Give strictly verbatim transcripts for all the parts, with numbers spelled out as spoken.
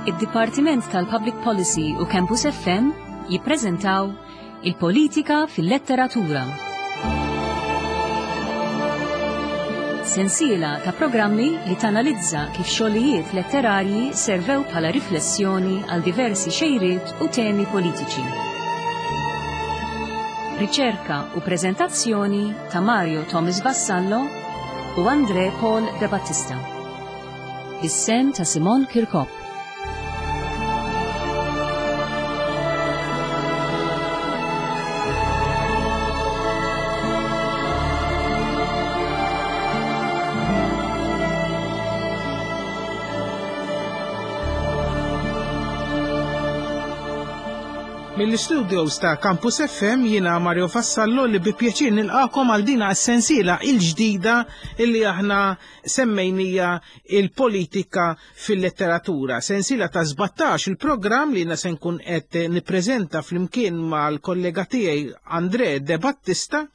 Id-Dipartiment tal-Public Policy u Campus F M jippreżentaw Il-Politika fil-Letteratura. Sensiela ta' programmi li tanalizza kif xogħlijiet letterarji servew bħala riflessjoni għal diversi xejriet u temi politiċi. Riċerka u preżentazzjoni ta' Mario Thomas Vassallo u Andre Paul De Battista. Is-sehem ta' Simon Kirkop. Mill-studios ta' Campus F M jiena Mario Vassallo li bi pjaċir nilqakom għal dina s-sensiela il-ġdida illi aħna semmejnija Il-Politika fil-Letteratura. Sensiela ta' sbatax il-programm li jiena se nkun qed nippreżenta flimkien mal-kollega tiegħi Andre De Battista,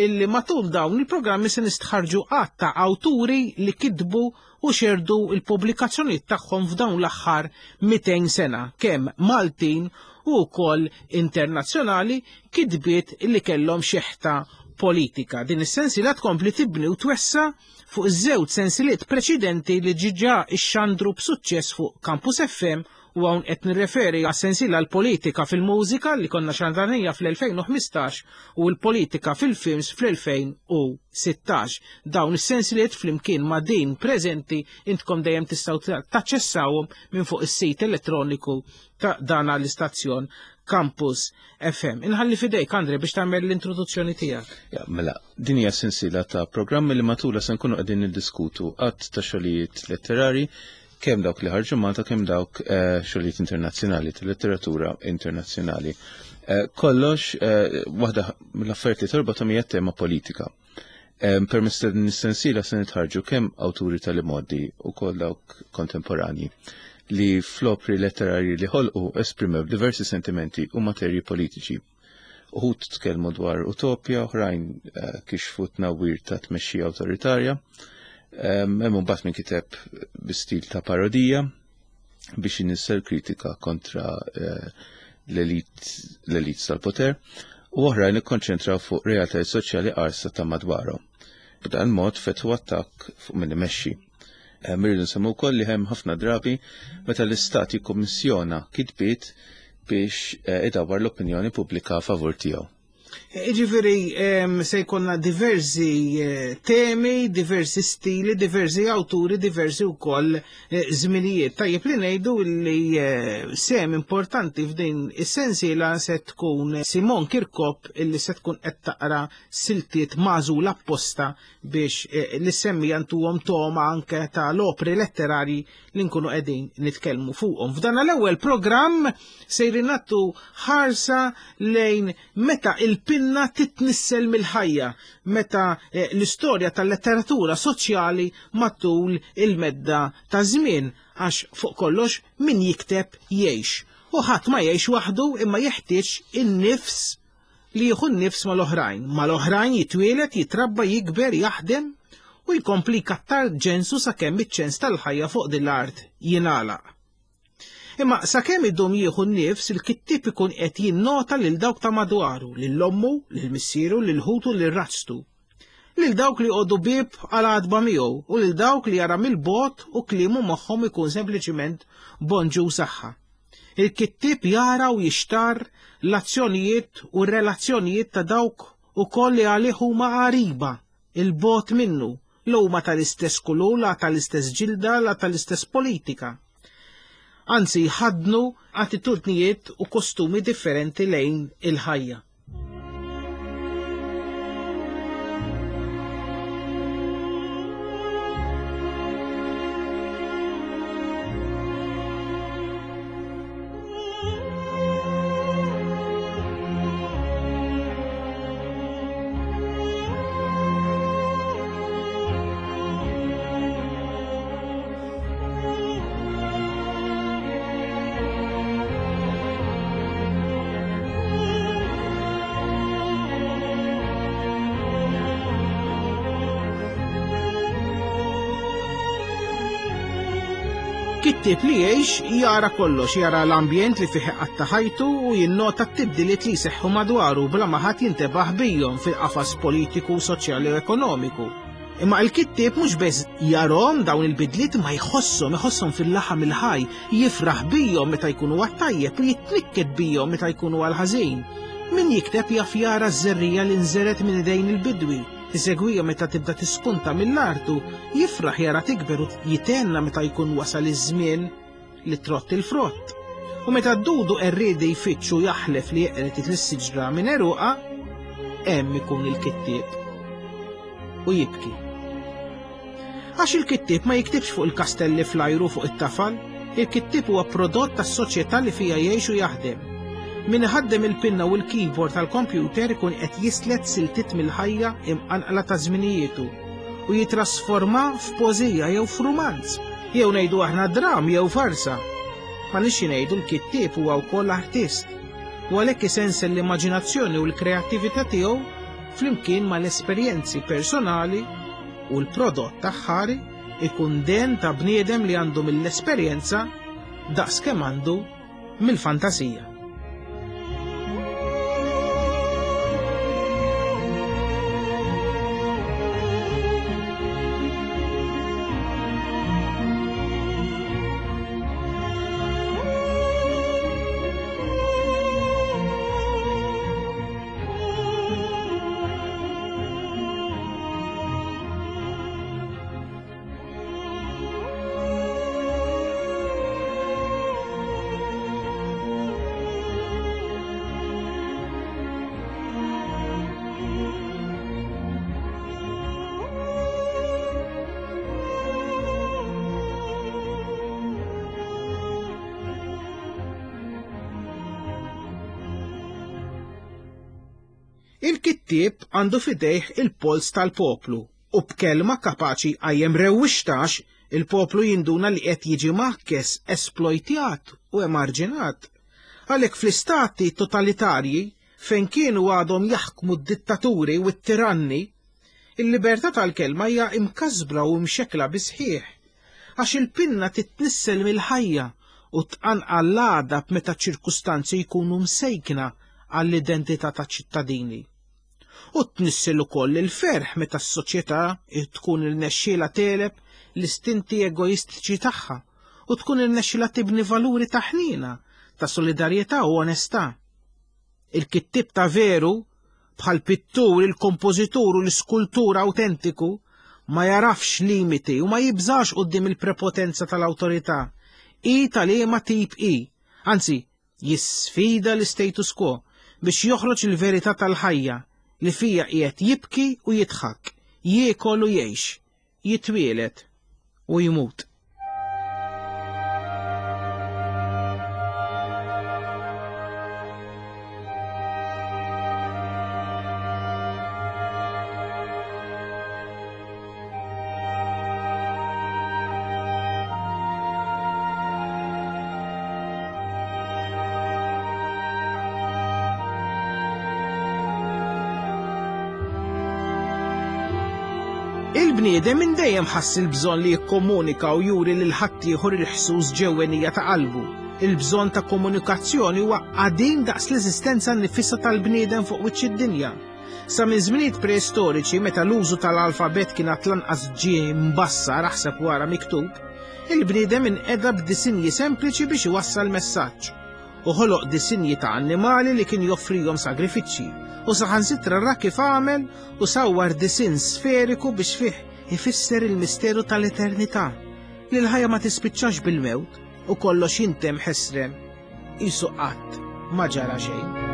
illi matul dawn il-programmi se nistħarġu għadd ta' awturi li kitbu u xerdu il-pubblikazzjonijiet tagħhom f'dawn l-aħħar mitejn sena, kemm Maltin u wkoll internazzjonali, kitbiet li kellhom xeħta politika. Din is-sensiela tkompli tibni u twessa fuq iż-żewġ sensiliet preċedenti li diġà ixxandru b'suċċess fuq Campus F M, u hawn qed nirreferi għas-sensiela L-Politika fil-Mużika li konna xandarnija fl-elfejn u ħmistax u L-Politika fil-Films fl-elfejn u sittax. Dawn is-sensiliet flimkien ma' din preżenti intkom dejjem tistgħu taċċessawhom minn fuq is-sit elettroniku ta' dana l-istazzjon Campus F M. Inħalli fidejk, Andre, biex tagħmel l-introduzzjoni tiegħek. Ja, mela, din hija sensiela ta' programmi li matula se nkunu qegħdin niddiskutu għadd ta' xogħlijiet letterari, kemm dawk li ħarġu Malta, kemm dawk eh, xogħlijiet internazzjonali, ta' letteratura internazzjonali. Eh, kollox, eh, waħda mill-affarijiet li torbothom hija tema politika. Permezz ta' din is-sensiela se nitħarġu kemm awturi tal-imgħoddi u koll dawk kontemporanji li fl-opri letterarji li ħolqu esprimew diversi sentimenti u materji politiċi. Uħud tkellmu dwar utopja, oħrajn kixfu tnawwir ta' tmexxija awtoritarja. Hemm mbagħad min kiteb bi stil ta' parodija biex inissel kritika kontra eh, l-elit tal-poter, u oħrajn ikkonċentraw fuq realtajiet soċjali qarsa ta' madwarhom. B'dan mod fetħu attakk fuq min imexxi. Irridu nsemmu wkoll li hemm ħafna drabi meta l-istat jikkummissjona kitbiet biex eh, idawwar l-opinjoni pubblika favur tiegħu. Ġifieri, se jkollna diversi eh, temi, diversi stili, diversi awturi, diversi wkoll eh, żminijiet. Tajjeb li ngħidu li eh, sehem importanti f'din is-sensiela se tkun Simon Kirkop, illi se tkun qed taqra siltiet magħżula apposta biex li semmi jantuhom toma anke ta' l-opri letterari li nkunu qegħdin nitkellmu fuqhom. F'dan l-ewwel programm sejrin nagħtu ħarsa lejn meta il-pinna titnissel mill-ħajja, meta eh, l-istorja tal-letteratura soċjali matul il-medda ta' żmien, għax fuq kollox min jikteb jgħix. U ħadd ma jgħix waħdu, imma jeħtieġ in-nifs li jieħu n-nifs mal-oħrajn. Mal-oħrajn jitwielet, jitrabba, jikber, jaħdem u jkompli kattar ġensu sakemm iċ-ċens tal-ħajja fuq din l-art jingħalaq. Imma sakemm idum jieħu n-nifs, il-kittib ikun qed jinnota lil dawk ta' madwaru, lil ommu, lil missieru, lil ħutu, lil raġtu. Lil dawk li joqogħdu bieb għal għatba miegħu u lil dawk li jara mill-bogħod u kliemu magħhom ikun sempliċiment bonġu saħħa. Il-kittib jara u jixtar l-azzjonijiet u r-relazzjonijiet ta' dawk ukoll li għalih huma qariba, 'il bogħod minnu, l huma tal-istess kulur, la tal-istess ġilda, la tal-istess politika. Anzi, jħadnu attitudnijiet u kostumi differenti lejn il-ħajja. Kittieb li jgħix jara kollox, jara l-ambjent li fih qatta ħajtu u jinnota t-tibdiliet li jseħħu madwaru bla ma ħadd jintebaħ bihom fil-qafas politiku, soċjali u ekonomiku. Imma il-kittieb mhux biss jarahom dawn il-bidliet ma jħosshom, iħosshom fil-laħam il-ħaj, jifraħ bihom meta jkunu għat-tajjeb u jitnikket bihom meta jkunu għal-ħażin. Min jikteb jaf jara ż-żerrija li nżeret minn idejn il-bidwi, isegwija meta tibda tispunta mill-artu, jifraħ jara tikber u jitenna meta jkun wasal iż-żmien li trott il-frott. U meta d-dudu qerriedi jfittxu jaħlef li jeqret lis-siġra minn eruqa, hemm ikun il-kittieb u jibki. Għax il-kittieb ma jiktibx fuq il-kastelli fl-ajru fuq it-tafal, il-kittieb huwa prodott tas-soċjetà li fija jgħix u jaħdem. Min iħaddem il-pinna u l-keyboard tal-kompjuter ikun qed jislet siltiet mill-ħajja imqanqla ta' żminijietu u jitrasforma f'poeżija jew f'rumanz, jew ngħidu aħna dram jew farsa. Ma nixi ngħidu l-kittieb huwa wkoll artist u għalhekk isensel l-immaġinazzjoni u l-kreattività tiegħu flimkien mal-esperjenzi personali u l-prodott aħħari ikun den ta' bniedem li għandu mill-esperjenza daqs kemm għandu mill-fantasija. Il-kittieb għandu fidejh il-pols tal-poplu u b'kelma kapaċi għajjem rewwixtax il-poplu jinduna li qed jiġi maħkes, esplojtjat u emarġinat. Għalhekk fl-istati totalitarji fejn kienu għadhom jaħkmu d-dittaturi u t-tiranni, il-libertà tal-kelma hija imkasbra u mxekla bisħieħ, għax il-pinna titnissel mill-ħajja u tqanqal l-għadab meta ċirkustanzi jkunu msejkna għall-identità ta' ċittadini. U tnissel ukoll il-ferħ meta s-soċjetà tkun irnexxielha tegħleb l-istinti egoistiċi tagħha u tkun irnexxielha tibni valuri ta' ħniena, ta' solidarjetà u onestà. Il-kittieb ta' veru, bħal pittur, il-kompożitur u l-iskultur awtentiku, ma jarafx limiti u ma jibżax quddiem il-prepotenza tal-awtorità. I tal-ema tip I, anzi, jisfida l-status quo biex joħroġ il-verità tal-ħajja li fija qiegħed jibki u jidħak, jiekol u jgħix, jitwielet u jmut. Il-bniedem minn dejjem ħass il-bżonn li jikkomunika u juri lil ħaddieħor il-ħsus ġewwenija ta' qalbu. Il-bżonn ta' komunikazzjoni huwa qadim daqs l-eżistenza nnifisha tal-bniedem fuq wiċċ id-dinja. Sa minn żminijiet preistoriċi meta l-użu tal-alfabet kien għad lanqas ġie mbassar aħseb wara miktub, il-bniedem inqeda b'disinji sempliċi biex iwassal messaġġ u ħoloq disinji ta' annimali li kien joffrihom sagrifiċċji u saħansitra ra kif għamel u sawwar disinn sferiku biex fih ifisser il-misteru tal-eternità li l-ħajja ma tispiċċax bil-mewt u kollox jintem ħesrem qisu qatt ma ġara xejn.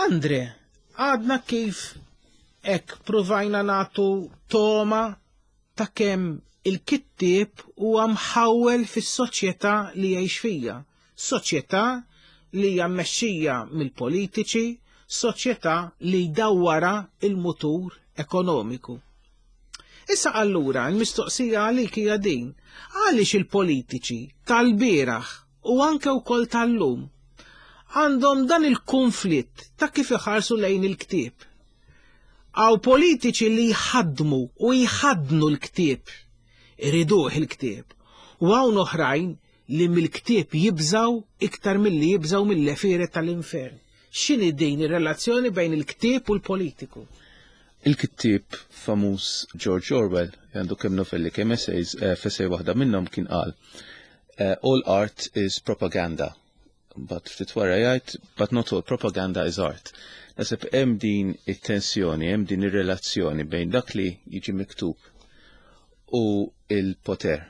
Andre, għadna kif hekk provajna nagħtu toma ta' kemm il-kittieb huwa mħawwel fis-soċjetà li jgħix fija. Soċjetà li hija mmexxija mill-politiċi, soċjetà li jdawwara il-mutur ekonomiku. Issa allura l-mistoqsija għalik hija din: għaliex il-politiċi tal-bieraħ u anke wkoll tal-lum għandhom dan il-konflitt ta' kif iħarsu lejn il-ktieb? Hawn politiċi li jħaddmu u jħaddnu l-ktieb, iriduh il-ktieb, u hawn oħrajn li mill-ktieb jibżaw iktar milli jibżaw mill-għefieret tal-infern. X'inhi din ir-relazzjoni bejn il-ktieb u l-politiku? Il-kittieb famuż George Orwell, għandu kemm novelli kemm essays, eh, f'essay waħda minnhom kien qal, eh, "All art is propaganda." But ftit wara jgħid, "But not all propaganda is art." Naħseb hemm din it-tensjoni, hemm din ir-relazzjoni bejn dak li jiġi miktub u il-poter.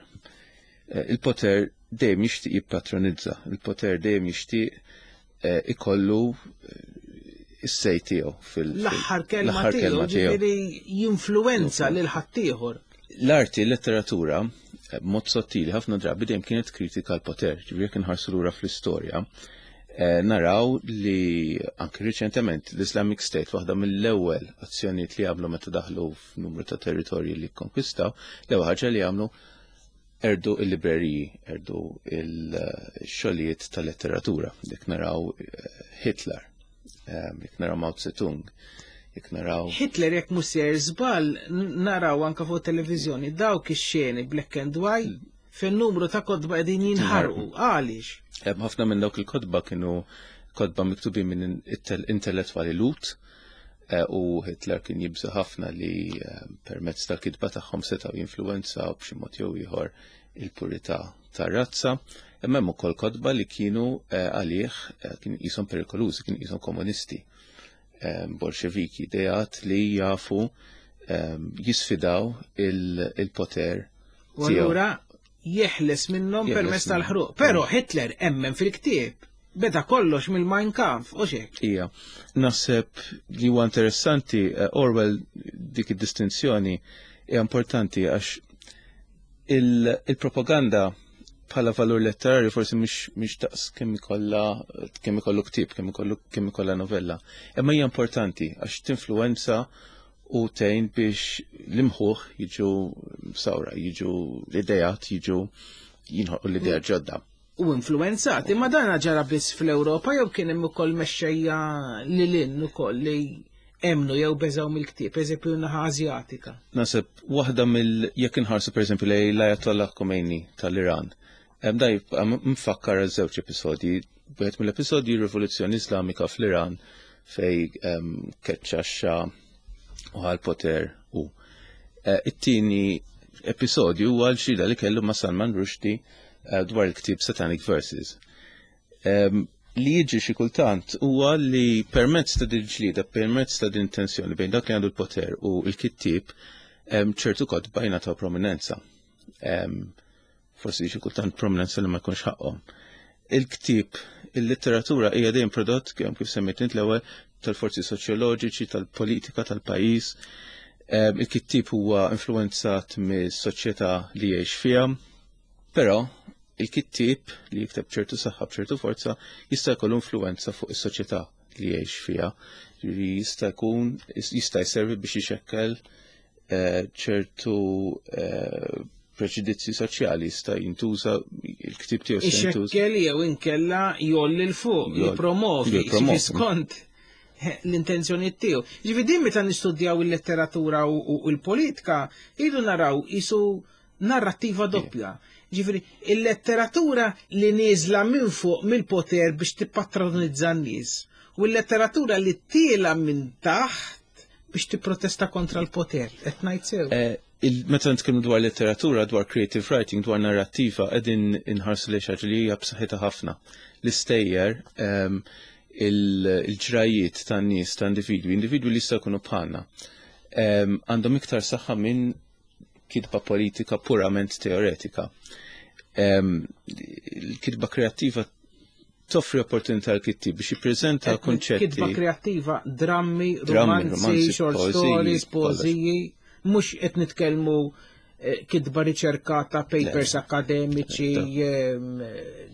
Eh, il-poter dejjem jixtieq jippatronizza, il-poter dejjem jixtieq eh, ikollu is-say tiegħu fil- L-aħħar kelma tiegħu, ġifieri jinfluwenza lil ħaddieħor. L-arti, l-letteratura, b'mod sottili ħafna drabi dejjem kienet kritika l-poter, ġifieri jekk inħarsu lura fl-istorja, eh, naraw li anke riċentement l-Islamic State, waħda mill-ewwel azzjonijiet li għamlu meta daħlu f'numru ta' territorji li konkwistaw, l-ewwel ħaġa li għamlu qerdu il-libreriji, qerdu il-xogħlijiet tal-letteratura. Jekk naraw eh, Hitler, eh, jekk naraw Mao Zedong, jekk naraw Hitler, jekk mhux sejjer żball, naraw anka fuq televiżjoni dawk ix-xeni black and white fejn numru ta' kotba qegħdin jinħarqu. Għaliex? Ħafna minn dawk il-kotba kienu kotba miktubin minn intellettwali Lhud eh, u Hitler kien jibża ħafna li permezz tal-kitba tagħhom setgħu jinfluwenzaw b'xi mod jew ieħor il-purità tar-razza. Imma hemm ukoll kotba li kienu eh, għalih eh, kien qishom perikolużi, kien qishom komunisti, eh, bolxeviki, ideat li jafu jisfidaw il-poter. U allura jeħles minnhom permezz tal-ħruq. Però Hitler emmen fil-ktieb. Beda kollox mill-Mein Kampf, u xek. Ija, naħseb li huwa interessanti, Orwell, dik id-distinzjoni hija importanti għax il-propaganda bħala valur letterarju forsi mhix daqs kemm ikollha kemm ikollu ktieb, kemm ikollu kemm ikollha novella. Imma hija importanti għax tinfluwenza u tgħin biex l-imħuħ jiġu sawra, jiġu l-idejat, jiġu jinħolqu l-idea ġodda. U influenzati, ma dana ġara biss fl-Ewropa jew kien hemm ukoll mexxejja lil hinn ukoll li emnu jew beżaw mill-ktieb, eżempju naħa Azjatika? Naħseb waħda mill jekk inħarsu pereżempju lejn l-Ayatollah Khomeini tal-Iran. Da jibqa' mfakkar għal żewġ episodji. Wieħed mill-episodji, Rivoluzzjoni Islamika fl-Iran, fej keċċa x-Xah u ħa l-poter u. Eh, it-tieni episodju huwa l-ġlieda li kellu ma' Salman Rushdie eh, dwar il-ktib Satanic Verses. Li jiġi xi kultant huwa li permezz ta' din ġlieda, permezz ta' din tensjoni bejn dak li għandu l-poter u l-kittieb, ċertu kotba jingħataw prominenza. Forsi xi kultant prominenza li ma jkunx ħaqhom. Il-ktieb, il-letteratura hija dejjem prodott, kemm kif semmejt int l-ewwel, tal-forzi soċjoloġiċi, tal-politika tal-pajjiż. Il-kittieb huwa influenzat mis-soċjetà li jgħix fiha, però il-kittieb li jikteb ċertu saħħa, b'ċertu forza, jista' jkollu influenza fuq is-soċjetà li jgħix fiha. Li jista' jkun jista' jservi biex ixekkel eh, ċertu eh, preġudizzji soċjali, jista' jintuża il-ktib tiegħu jista' jintuża. Ixekkel jew inkella jgħolli 'l fuq, jipromovi, jippromovi. Skont l-intenzjoni tiegħu. Ġifieri din meta nistudjaw il-letteratura u u l-politika, idu naraw isu narrattiva doppja. Ġifieri il-letteratura li nieżla minn fuq mill-poter biex tippatronizza n-nies u l-letteratura li tiela minn taħt biex tipprotesta kontra l-poter. Qed ngħid sew? Eh, il- Meta nitkellmu dwar letteratura, dwar creative writing, dwar narrattiva, qegħdin inħarsu li xi ħaġa li hija b'saħħitha ħafna. L-istejjer, ehm, il- il-ġrajiet tan-nies, ta' individwi, individwi li jistgħu jkunu bħalna, ehm, għandhom iktar saħħa minn kitba politika purament teoretika. Ehm, Il-kitba kreattiva Toffri opportunità l-kittieb biex jippreżenta konċetti. Kitba kreattiva, drammi, romanzi, short stories, poeżiji, mhux qed nitkellmu kitba riċerkata, papers akademiċi,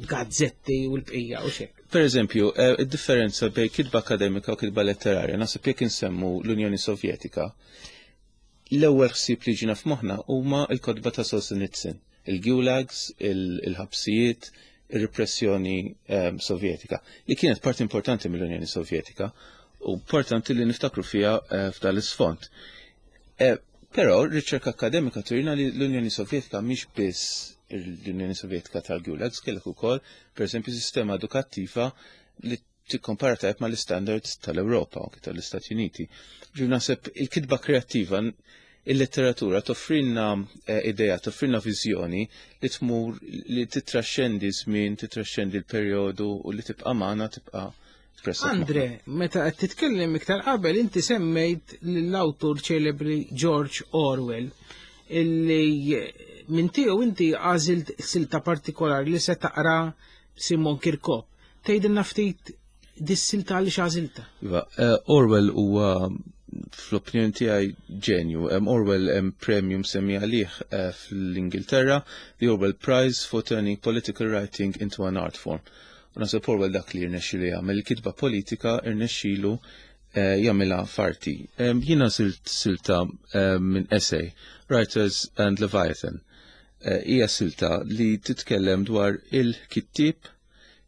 gazzetti u l-bqija u xek. Per eżempju, id-differenza bejn kitba akademika u kitba letterarja, naħseb jekk insemmu l-Unjoni Sovjetika, l-ewwel ħsieb li ġina f'moħħna huma l-kotba ta' Solzhenitsyn, il-gulags, il-ħabsijiet, il-repressjoni sovjetika, li kienet parti importanti mill-Unjoni Sovjetika u importanti li niftakru fiha f'dan l-isfond. Però r-riċerka akademika turina li l-Unjoni Sovjetika mhix biss l-Unjoni Sovjetika tal-Gulags, kellek ukoll, pereżempju, sistema edukattiva li tikkompara tajjeb mal-istandards tal-Ewropa u tal-Istati Uniti. Ġifieri naħseb il-kitba kreattiva, il-letteratura toffrilna idea, toffrilna viżjoni li tmur li titraxxendi żmien, titraxxendi l-perjodu u li tibqa' magħna, tibqa' Andre, meta qed titkellem iktar qabel inti semmejt l-awtur ċelebri George Orwell, illi minn tiegħu inti għażilt silta partikolari li se taqra Simon Kirkop. Tgħidilna ftit dis-silta għaliex għażilta? Iva, Orwell huwa fl-opinjoni tiegħi ġenju. Orwell hemm premju msemmi għalih fl-Ingilterra, the Orwell Prize for Turning Political Writing into an Art Form. U naħseb Orwell dak li rnexxielu jagħmel, il-kitba politika rnexxielu jagħmilha farti. Jiena silt silta minn essay, Writers and Leviathan. Hija silta li titkellem dwar il-kittieb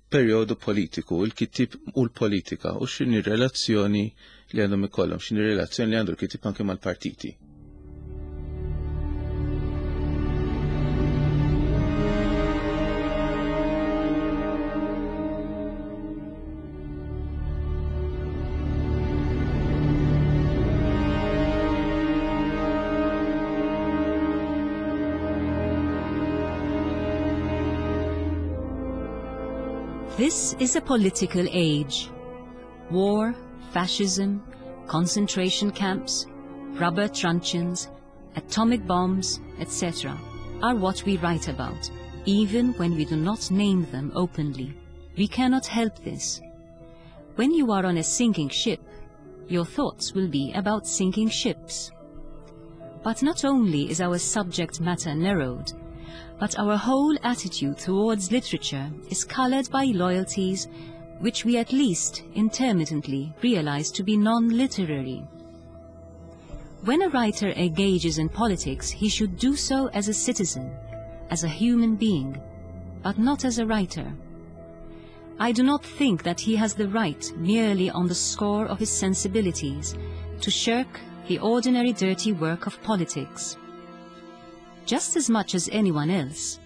perjodu politiku, il-kittieb u l-politika, u x'inhi relazzjoni li għandhom ikollhom, x'inhi relazzjoni li għandu l-kittieb anke mal-partiti. This is a political age. War, fascism, concentration camps, rubber truncheons, atomic bombs, et cetera are what we write about, even when we do not name them openly. We cannot help this. When you are on a sinking ship, your thoughts will be about sinking ships. But not only is our subject matter narrowed, but our whole attitude towards literature is colored by loyalties which we at least intermittently realize to be non-literary. When a writer engages in politics, he should do so as a citizen, as a human being, but not as a writer. I do not think that he has the right, merely on the score of his sensibilities, to shirk the ordinary dirty work of politics. Just as much as anyone else,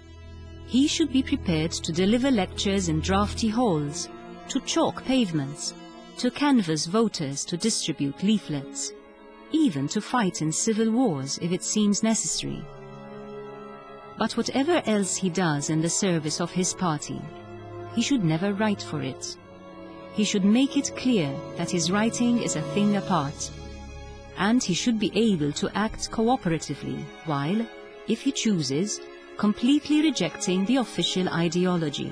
he should be prepared to deliver lectures in drafty halls, to chalk pavements, to canvass voters, to distribute leaflets, even to fight in civil wars if it seems necessary. But whatever else he does in the service of his party, he should never write for it. He should make it clear that his writing is a thing apart, and he should be able to act cooperatively while, if he chooses, completely rejecting the official ideology.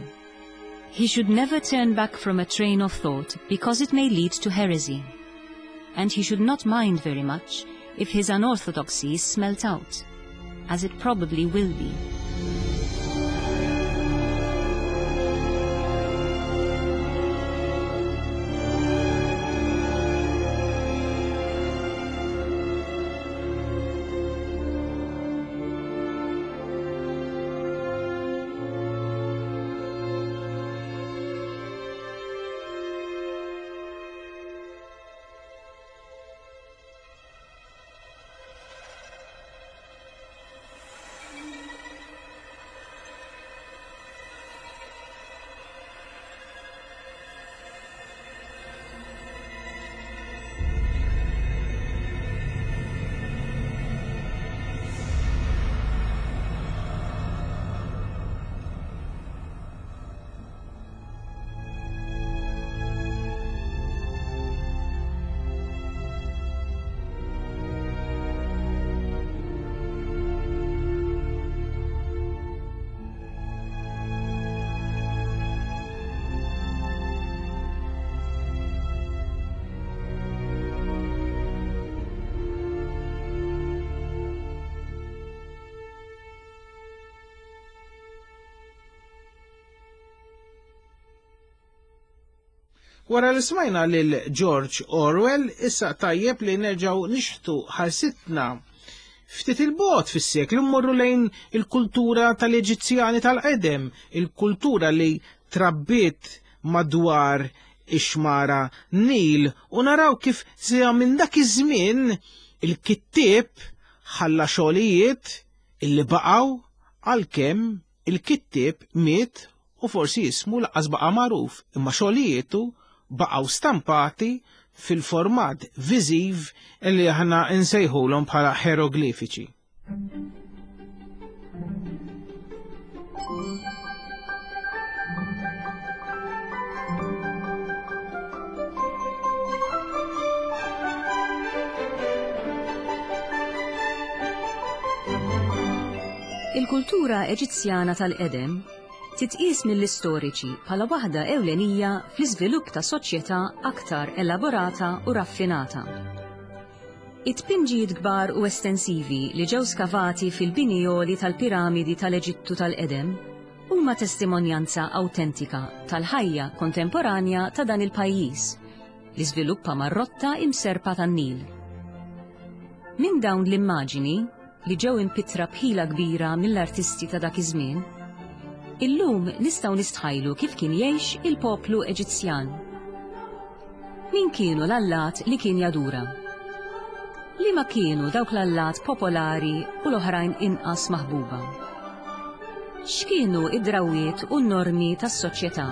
He should never turn back from a train of thought because it may lead to heresy, and he should not mind very much if his unorthodoxy is smelt out, as it probably will be. Wara li smajna lil George Orwell, issa tajjeb li nerġgħu nixħtu ħarsitna ftit il-bogħod fis-seklu, mmorru lejn il-kultura tal-Eġizzjani tal-qedem, il-kultura li trabbiet madwar ix-xmara Nil, u naraw kif sija minn dak iż-żmien il-kittieb ħalla xogħlijiet illi baqgħu għalkemm il-kittieb miet u forsi ismu lanqas baqa' magħruf, imma xogħlijietu baqgħu stampati fil-format viżiv li aħna nsejħulhom bħala ħeroglifiċi. Il-kultura Eġizzjana tal-qedem titqies mill-istoriċi bħala waħda ewlenija fl-iżvilupp ta' soċjetà aktar elaborata u raffinata. It-tpinġijiet kbar u estensivi li ġew skavati fil-bini għoli tal-piramidi tal-Eġittu tal-qedem huma testimonjanza awtentika tal-ħajja kontemporanja ta' dan il-pajjiż li żviluppa mar-rotta imserpa tan-Nil. Minn dawn l-immaġini li ġew impittra bħila kbira mill-artisti ta' dak iż-żmien, illum nistgħu nistħajlu kif kien jgħix il-poplu Eġizzjan. Min kienu l-allat li kien jadura? Liema kienu dawk l-allat popolari u l-oħrajn inqas maħbuba? X'kienu id-drawiet u n-normi tas-soċjetà?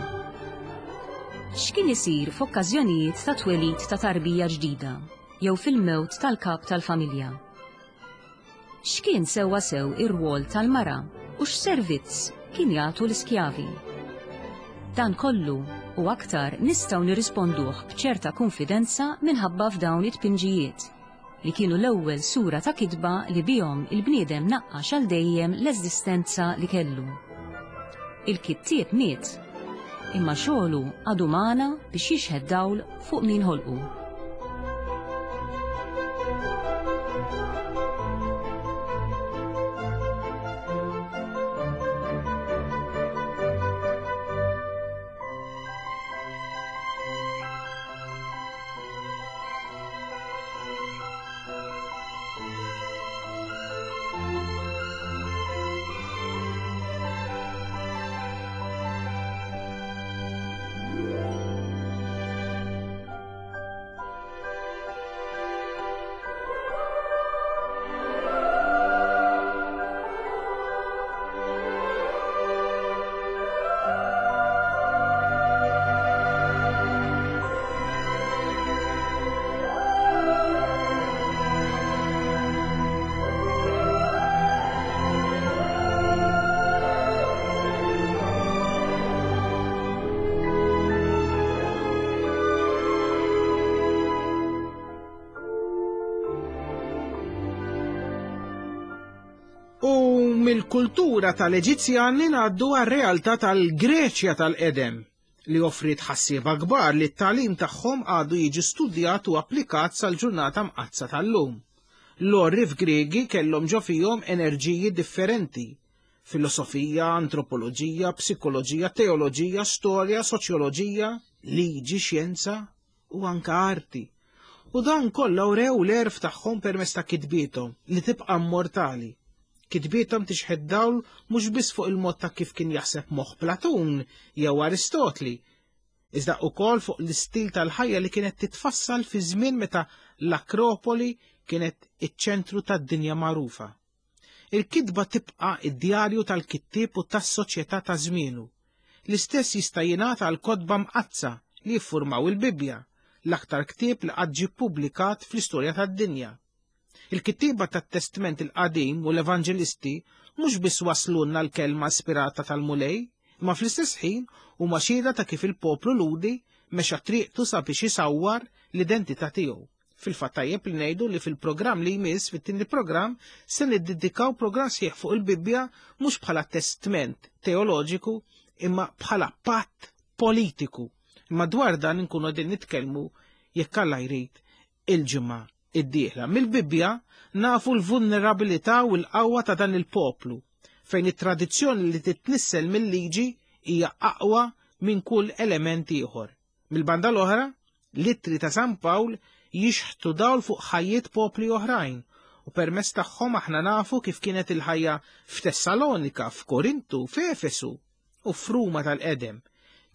X'kien isir f'okkażjonijiet ta' twelid ta' tarbija ġdida jew fil-mewt tal-kap tal-familja? X'kien sewwa sew ir-rwol tal-mara u x'servizz kien jagħtu l-iskjavi? Dan kollu u aktar nistgħu nirrisponduh b'ċerta konfidenza minħabba f'dawn it-tpinġijiet li kienu l-ewwel sura ta' kitba li bihom il-bniedem naqqax għal dejjem l-eżistenza li kellu. Il-kittieb miet, imma xogħlu għadu magħna biex jixħed dawl fuq min ħolqu. U mill-kultura tal-Eġizzjani ngħaddu għar-realtà tal-Greċja tal-qedem li offriet ħassieba kbar li t-tagħlim tagħhom għadu jiġi studjat u applikat sal-ġurnata mqaddsa tal-lum. L-għorrief Griegi kellhom ġo fihom enerġiji differenti: filosofija, antropoloġija, psikoloġija, teoloġija, storja, soċjoloġija, liġi, xjenza u anke arti. U dan kollha wrew l-għerf tagħhom permezz ta' kitbiethom li tibqa' immortali. Kitbietom tixħed dawl mhux biss fuq il-mod ta' kif kien jaħseb moħħ Platun jew Aristotli, iżda wkoll fuq l-istil tal-ħajja li kienet titfassal fi żmien meta l-Akropoli kienet iċ-ċentru tad-dinja magħrufa. Il-kitba tibqa' id-djarju tal-kittieb u tas-soċjetà ta' żmienu. L-istess jista' jingħata għal kotba mqaddsa li jiffurmaw il-Bibbja, l-aktar ktieb li qatt ġie ppubblikat fl-istorja tad-dinja. Il-kittieba tat-Testment il-Qadim u l-Evanġelisti mhux biss waslulna l-kelma ispirata tal-Mulej, imma fl-istess ħin huma xhieda ta' kif il-poplu Lhudi mexa triqtu sabiex isawwar l-identità tiegħu. Fil-fatt tajjeb li ngħidu li fil-programm li jmiss, fit-tieni programm, se niddedikaw programm sħiħ fuq il-Bibbja mhux bħala testment teoloġiku imma bħala patt politiku. Imma dwar dan inkunu qegħdin nitkellmu jekk Alla jrid il-ġimgħa id-dieħla. Mill-Bibbja nafu l-vulnerabilità u l-qawwa ta' dan il-poplu, fejn it-tradizzjoni li titnissel mill-liġi hija aqwa minn kull element ieħor. Mill-banda l-oħra, l-ittri ta' San Pawl jixħtu dawl fuq ħajjiet popli oħrajn u permezz tagħhom aħna nafu kif kienet il-ħajja f'Tessalonika, f'Korintu, f'Efesu u f'Ruma tal-qedem.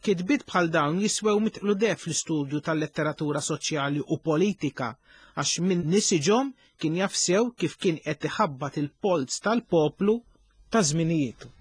Kitbiet bħal dawn jiswew mitqlu deheb fl-istudju tal-letteratura soċjali u politika għax min nisiġhom kien jaf sew kif kien qed iħabbat il-polz tal-poplu ta' żminijietu.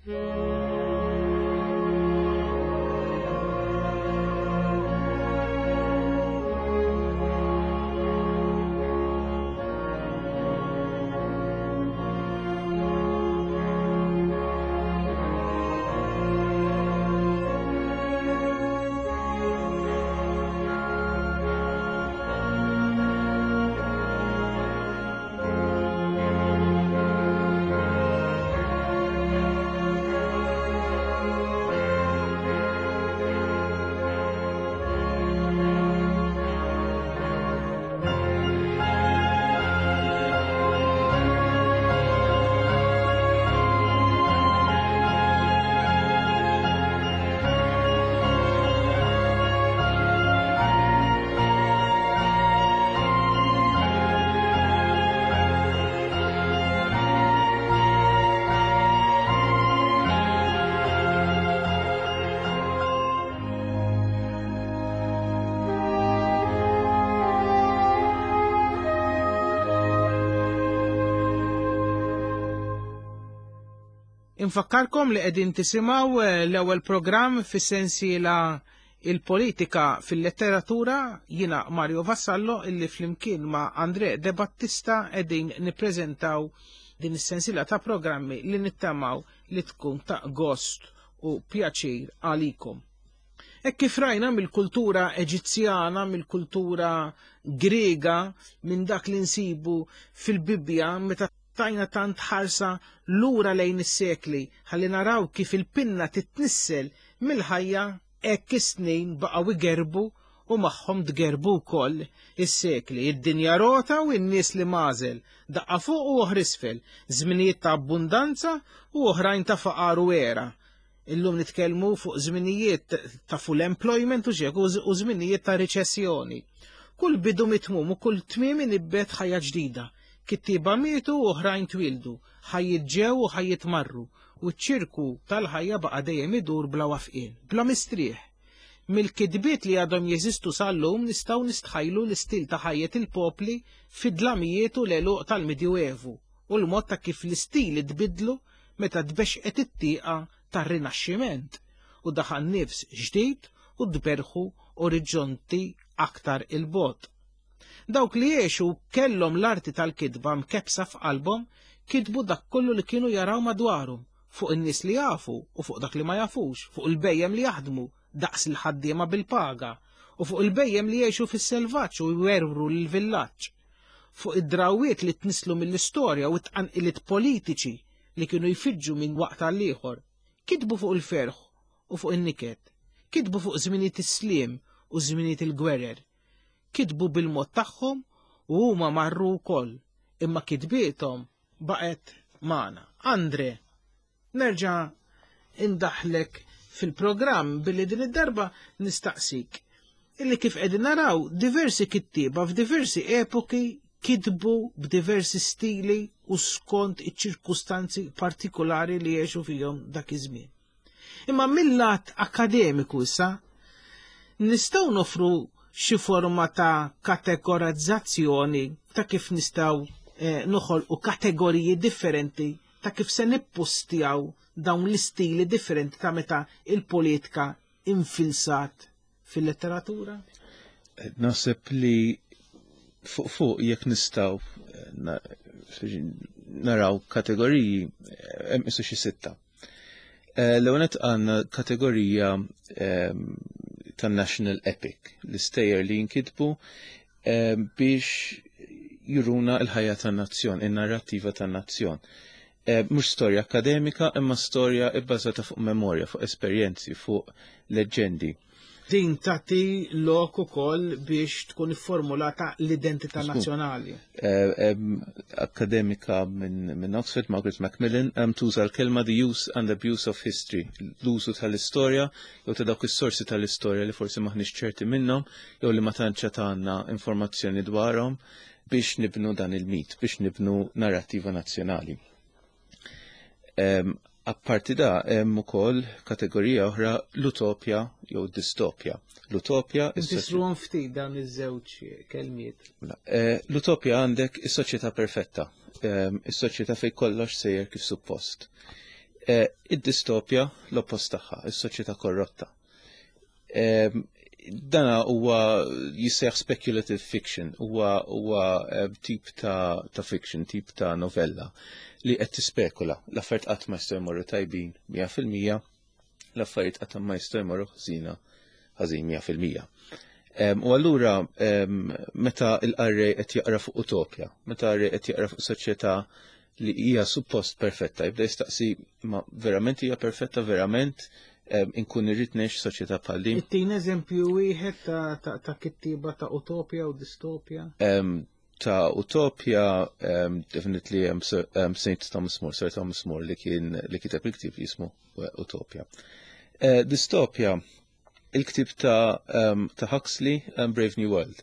Infakkarkom li qegħdin tisimgħu l-ewwel programm fis-sensiela Il-Politika fil-Letteratura, jiena Mario Vassallo illi flimkien ma' Andre De Battista qegħdin nippreżentaw din is-sensiela ta' programmi li nittamaw li tkun ta' gost u pjaċir għalikom. Hekk kif rajna mill-kultura Eġizzjana, mill-kultura Griega, minn dak li nsibu fil-Bibbja meta tajna tant ħarsa lura lejn is-sekli ħalli naraw kif il-pinna titnissel mill-ħajja, hekk is-snin baqgħu igerbu u magħhom tgerbu wkoll is-sekli. Id-dinja rota u n-nies li mażel, daqqa fuq u oħra isfel, żminijiet ta' abbundanza u oħrajn ta' faqar u era. Illum nitkellmu fuq żminijiet ta' full employment u xek u żminijiet ta' riċessjoni. Kull bidu mitmum u kull tmiem inibbet ħajja ġdida. Kittieba mietu u oħrajn twildu, ħajjiet ġew u ħajjiet marru, u ċ-ċirku tal-ħajja baqa' dejjem idur bla wafqien, bla mistrieħ. Mill-kitbiet li għadhom jeżistu sal-lum nistgħu nistħajlu l-istil ta' ħajjet il-popli fid-dlamijiet u l-għeluq tal-Medjuevu u l-mod ta' kif l-istili tbidlu meta tbexqet it-tieqa tar-Rinaxximent u daħal nifs ġdid u tberħu orizzonti aktar il-bogħod. Dawk li jgħixu kellhom l-arti tal-kitba mkebsa f'qalbhom kitbu dak kollu li kienu jaraw madwarhom, fuq in-nies li jafu u fuq dak li ma jafux, fuq il-bejjem li jaħdmu daqs il-ħaddiema bil-paga u fuq il-bejjem li jgħixu fis-selvaġġ u jwerwru l-villaġġ, fuq id-drawiet li tnislu mill-istorja u t-tqanqiliet politiċi li kienu jfiġġu minn waqt għal ieħor. Kitbu fuq il-ferħ u fuq in-niket, kitbu fuq żminijiet is-sliem u żminijiet il-gwerer. Kitbu bil-mod tagħhom u huma marru wkoll, imma kitbiethom baqgħet magħna. Andre, nerġa' indaħlek fil-programm billi din id-darba nistaqsik illi kif qegħdin naraw diversi kittieba f'diversi epoki kitbu b'diversi stili u skont iċ-ċirkustanzi partikolari li jgħixu fihom dak iż-żmien. Imma mill-lat akademiku issa nistgħu nofru xi forma ta' kategorizzazzjoni ta' kif nistgħu eh, noħolqu kategoriji differenti ta' kif se nippostjaw dawn l-istili differenti ta' meta il-politika infilsat fil-letteratura? Naħseb li fuq fuq jekk nistgħu naraw kategoriji hemm isu xi sitta. L-ewwel nett għandna kategorija tan-National Epic, l-istejjer li jinkitbu biex juruna l-ħajja tan-nazzjon, in-narrattiva tan-nazzjon. Mhux storja akademika, imma storja bbażata fuq memorja, fuq esperjenzi, fuq leġġendi. Din tagħti lok ukoll biex tkun ifformulata l-identità nazzjonali. Eh, akademika minn Oxford, Margaret Macmillan, tuża l-kelma "the use and abuse of history", l-użu tal-istorja jew ta' dawk is-sorsi tal-istorja li forsi maħniex ċerti minnhom jew li ma tantx għandna informazzjoni dwarhom biex nibnu dan il-mit, biex nibnu narrativa nazzjonali. Apparti da, hemm ukoll kategorija oħra, l-utopja jew distopja. L-utopja. Nfissruhom ftit dawn iż-żewġ kelmiet. Mela, eh, l-utopja għandek is-soċjetà perfetta, is-soċjetà fejn kollox sejjer kif suppost. Eh, id-distopja l-oppost tagħha, is-soċjetà korrotta. Dana huwa jissejjaħ speculative fiction, huwa huwa eh, tip ta', ta fiction, tip ta' novella li qed tispekula. L-affarijiet qatt ma jistgħu jmorru tajbin mija fil-mija, l-affarijiet qatt ma jistgħu jmorru ħżina ħażin mija fil-mija. U allura meta l-qarrej qed jaqra fuq utopja, meta qarrej qed jaqra fuq soċjetà li hija suppost perfetta, jibda jistaqsi: ma verament hija perfetta? Verament inkun irrid ngħix soċjetà bħal din? Ittina eżempju wieħed ta' ta' kittiba ta' utopja u distopja. Ta' utopja, definitely um, Saint Thomas More, Sir Thomas More, li kien li kiteb il-ktib jismu Utopia. Uh, distopja, il-ktib ta' um, ta' Huxley, um, Brave New World.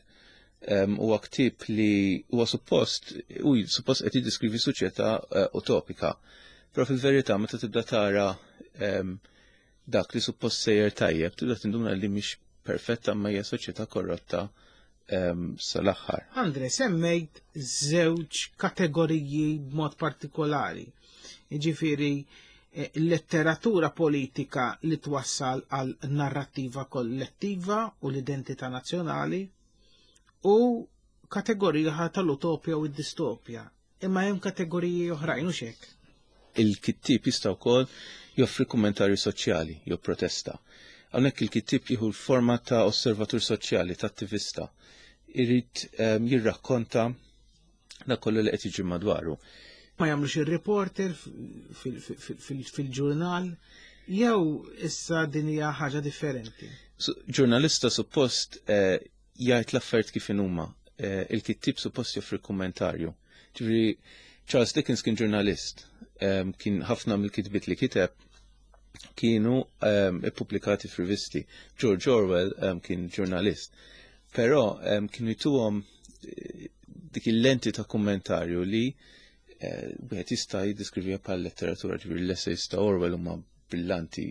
Huwa um, ktib li huwa suppost u suppost qed jiddeskrivi soċjetà uh, utopika. Però fil-verità, meta tibda tara um, dak li suppost sejjer tajjeb, tibda tinduna li mhix perfetta, ma hija soċjetà korrotta um, sal-aħħar. Andre, semmejt żewġ kategoriji b'mod partikolari. Jiġifieri eh, letteratura politika li twassal għal narrattiva kollettiva u l-identità nazzjonali u kategorija tal-utopja u d-distopja. Imma hemm kategoriji oħrajn u xek. Il-kittib jista' wkoll joffri kummentarju soċjali jew protesta. Hawnhekk il-kittib jieħu l-forma ta' osservatur soċjali, ta' attivista. Irid um, jirrakkonta dak kollu li qed jiġi madwaru. Ma jagħmlux ir-reporter fil-ġurnal jew issa din hija ħaġa differenti? Ġurnalista suppost eh, jgħid l-affarijiet kif inhuma. Eh, il-kittib suppost joffri kummentarju. Ġifieri Charles Dickens kien ġurnalist, um, kien ħafna mill-kitbiet li kiteb kienu um, ippubblikati f'rivisti. George Orwell um, kien ġurnalist. Però um, kienu jtuhom eh, dik il-lenti ta' kummentarju li uh, wieħed jista' jiddeskriviha bħal letteratura. Ġifieri l-essays ta' Orwell huma brillanti,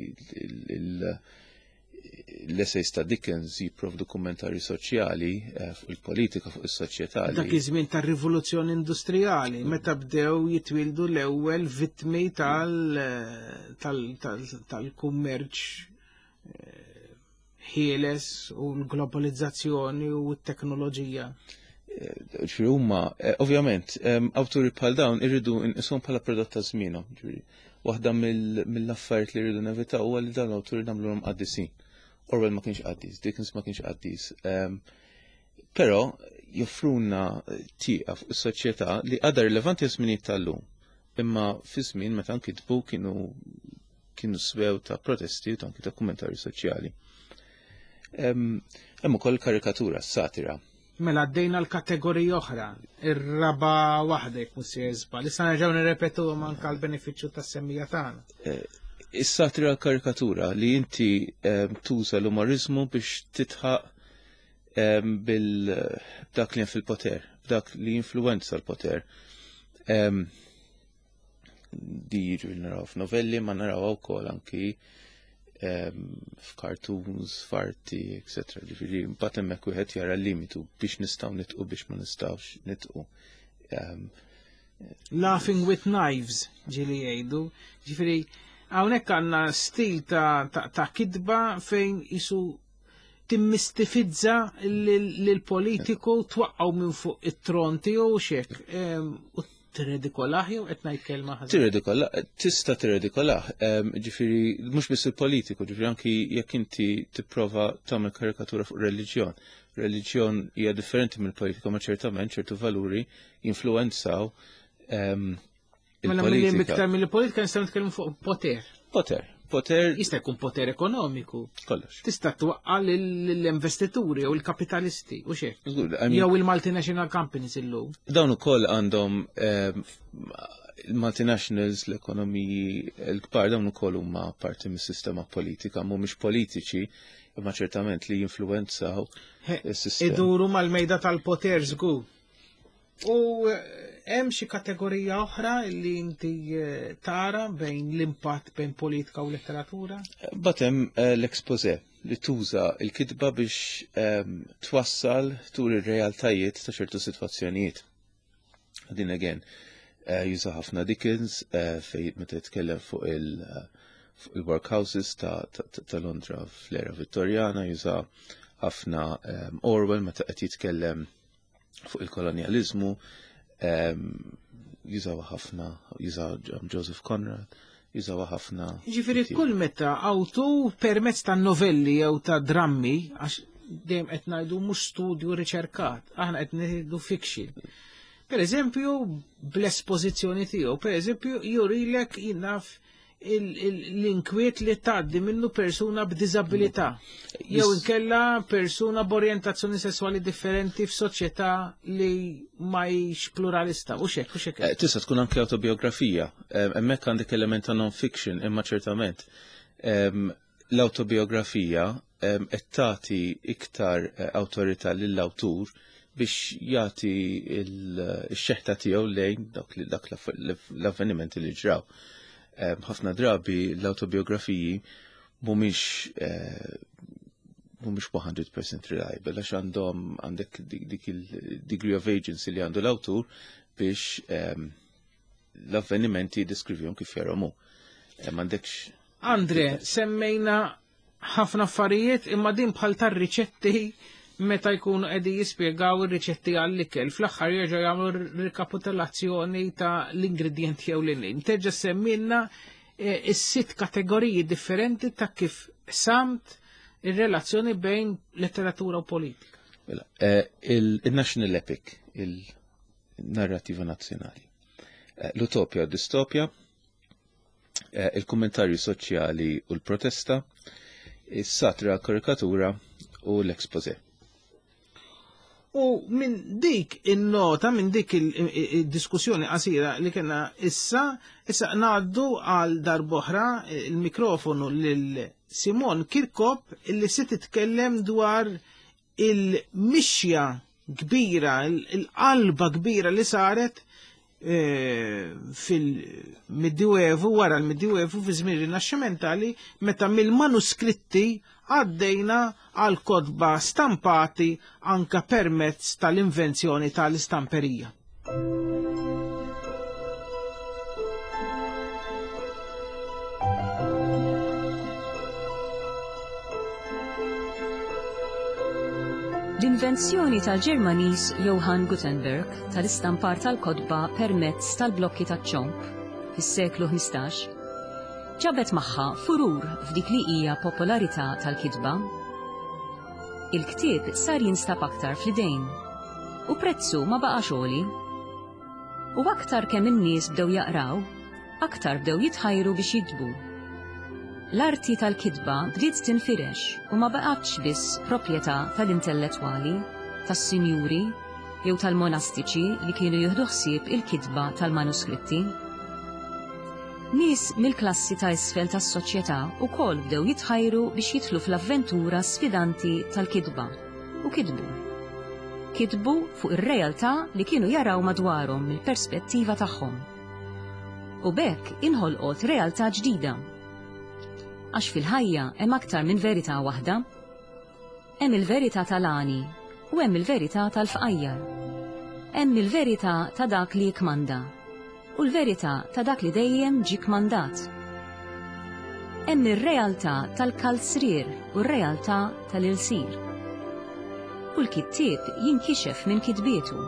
l-essays ta' Dickens jipprovdu kummentarju soċjali eh, fuq il-politika, fuq is-soċjetà. Dak iż-żmien tar-rivoluzzjoni industrijali, meta bdew jitwildu l-ewwel vittmi tal-kummerċ eh, ħieles u l-globalizzazzjoni u t-teknoloġija. Eh, ġifieri huma, ovvjament, awturi bħal dawn irridu nqishom bħala prodott ta' żmienhom. Waħda mill-affarijiet li rridu nevitaw huwa li dawn l-awturi nagħmluhom qaddisin. Orwell ma kienx qaddis, Dickens ma kienx qaddis. Però joffruna tieqa fuq is-soċjetà li għadha rilevanti għaż-żminijiet tal-lum. Imma fi żmien meta nkitbu kienu kienu swew ta' protesti u anki ta' kummentarju soċjali. Hemm ukoll karikatura, satira. Mela għaddejna l-kategorija oħra, ir-raba waħda jekk mhux żball. Issa nerġgħu nirrepetu anke għall-benefiċċju tas-semmiegħa tagħna. Eh, is-satira, karikatura li inti tuża l-umorizmu biex titħaq bil dak li fil-poter, dak li influenza l-poter. Di jiġu naraw f'novelli, ma naraw ukoll anki f'cartoons, f'arti, et cetera. Ġifieri mbagħad hemmhekk wieħed jara l-limitu biex nistgħu nidħku, biex ma nistgħux nidħku. Laughing with knives, ġieli jgħidu. Ġifieri hawnhekk għandna stil ta', ta, ta kitba fejn isu timmistifizza lill-politiku, twaqqaw minn fuq it-tron tiegħu xek. U tirredikolah jew qed ngħid kelma ħażin? Tirredikolah, tista' tirredikolah. Ġifieri mhux biss il-politiku, ġifieri anki jekk inti tipprova tagħmel karikatura fuq reliġjon. Reliġjon hija differenti mill-politika, ma ċertament ċertu valuri influenzaw Mela mill iktar mill-politika nistgħu nitkellmu fuq poter. Poter, Poter Jista' jkun poter ekonomiku. Kollox. Tista' twaqqa' l-investituri u l-kapitalisti u xek. Żgur, I mean, Jew il-multinational companies illum. Dawn ukoll għandhom ehm, il-multinationals, l-ekonomiji l-kbar, dawn ukoll huma parti mis-sistema politika, mhumiex politiċi, imma ċertament li jinfluwenzaw He, is-sistema. Iduru mal-mejda tal-poter żgur. U eh, hemm xi kategorija oħra li inti eh, tara bejn l-impatt bejn politika u letteratura? But hemm eh, l-exposé li tuża il-kitba biex ehm, twassal tur ir-realtajiet ta' ċertu sitwazzjonijiet. Din again, eh, juża ħafna Dickens eh, fej meta jitkellem fuq il- eh, fuq il-workhouses ta', ta, ta, ta' Londra fl-era Vittorjana, juża ħafna ehm, Orwell meta qed jitkellem fuq il-kolonjalizmu, ehm, jużaw ħafna, juża Joseph Conrad, jużaw ħafna. Ġifieri kull meta awtur permezz ta' novelli jew ta' drammi, għax dejjem qed ngħidu mhux studju riċerkat, aħna qed ngħidu fiction. Per eżempju, bl-espożizzjoni tiegħu, per eżempju, jurilek jinnaf l-inkwiet li tgħaddi minnu persuna b'diżabilità. Jew inkella persuna b'orjentazzjoni sessuali differenti f'soċjetà li ma hix pluralista. U xek, u xek. Eh, Tista' tkun anke autobiografija. Eh, Hemmhekk għandek element ta' non-fiction, imma ċertament em, l-autobiografija em, qed tagħti iktar eh, awtorità lill-awtur biex jagħti il-xeħta tiegħu lejn dak li- dak l-avvenimenti li ġraw. Em, Ħafna drabi l-autobiografiji mhumiex eh, mhumiex mija fil-mija reliable għax għandhom għandek dik dik il-degree of agency li għandu l-awtur biex em, l-avvenimenti jiddeskrivihom kif jarahom hu. Eh, M'għandekx Andre, semmejna ħafna affarijiet imma din bħal tar-riċetti meta jkunu qegħdin jispjegaw ir-riċetti għall-ikel. Fl-aħħar jerġgħu jagħmlu rikapitolazzjoni ta' l-ingredjenti jew l-inin. Terġa' semmilna eh, is-sitt kategoriji differenti ta' kif samt ir-relazzjoni bejn letteratura u politika. Mela, eh, il- il-National Epic, il-narrativa nazzjonali. Eh, L-utopja u distopja, eh, il-kommentarju soċjali u l-protesta, is-satira karikatura u l-exposé. U minn dik il-nota, minn dik il-diskussjoni qasira li kena issa, issa ngħaddu għal darb'oħra il-mikrofonu lil Simon Kirkop illi se titkellem dwar il-mixja kbira, il-qalba kbira li saret eh, fil-Medjuevu, wara l-Medjuevu, fi żmien rinaxximentali, meta mill-manuskritti għaddejna għal kotba stampati anka permezz tal-invenzjoni tal-istamperija. L-invenzjoni tal-Ġermaniż Johann Gutenberg tal-istampar tal-kotba permezz tal-blokki taċ-ċomb fis-seklu ħmistax ġabet magħha furur f'dik li hija popolarità tal-kitba. Il-ktieb sar jinstab aktar fl-idejn u prezzu ma baqax għoli. U aktar kemm in-nies bdew jaqraw, aktar bdew jitħajru biex jiktbu. L-arti tal-kitba bdiet tinfirex u ma baqgħetx biss proprjetà tal-intellettwali, tas-sinjuri jew tal-monastiċi li kienu jieħdu ħsieb il-kitba tal-manuskritti. Nies mill-klassi ta' isfel tas-soċjetà wkoll bdew jitħajru biex jidħlu fl-avventura sfidanti tal-kitba u kitbu. Kitbu fuq ir-realtà li kienu jaraw madwarhom mill-perspettiva tagħhom. U b'hekk inħolqot realtà ġdida. Għax fil-ħajja hemm aktar minn verità waħda. Hemm il-verità tal-għani u hemm il-verità tal-fqajjar. Hemm il-verità ta' dak li jikmanda u l-verità ta' dak li dejjem ġie kmandat. Hemm ir-realtà tal-kalzrier u r-realtà tal-ilsir. U l-kittieb jinkixef minn kitbietu.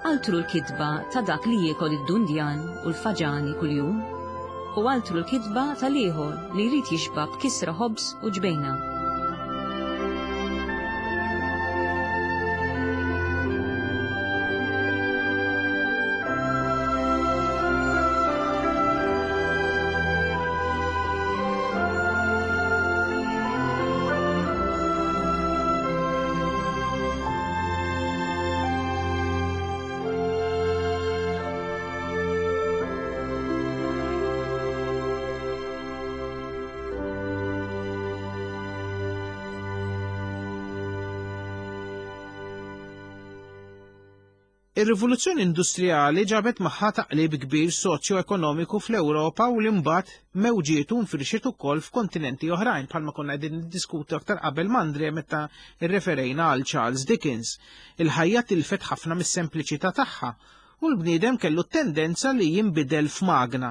Altru l-kitba ta' dak li jiekol id-dundjan u l-faġani kuljum, u altru l-kitba tal-ieħor li jrid jixba' b'kisra ħobż u ġbejna. Ir-rivoluzzjoni industrijali ġabet magħha taqlib kbir soċjo-ekonomiku fl-Ewropa u l-imbagħad mewġietu nfirxet ukoll f'kontinenti oħrajn bħalma konna qegħdin niddiskutu aktar qabel m'Andre meta rreferejna għal Charles Dickens. Il-ħajja tilfet ħafna mis-sempliċità tagħha u l-bniedem kellu tendenza li jinbidel f'magna.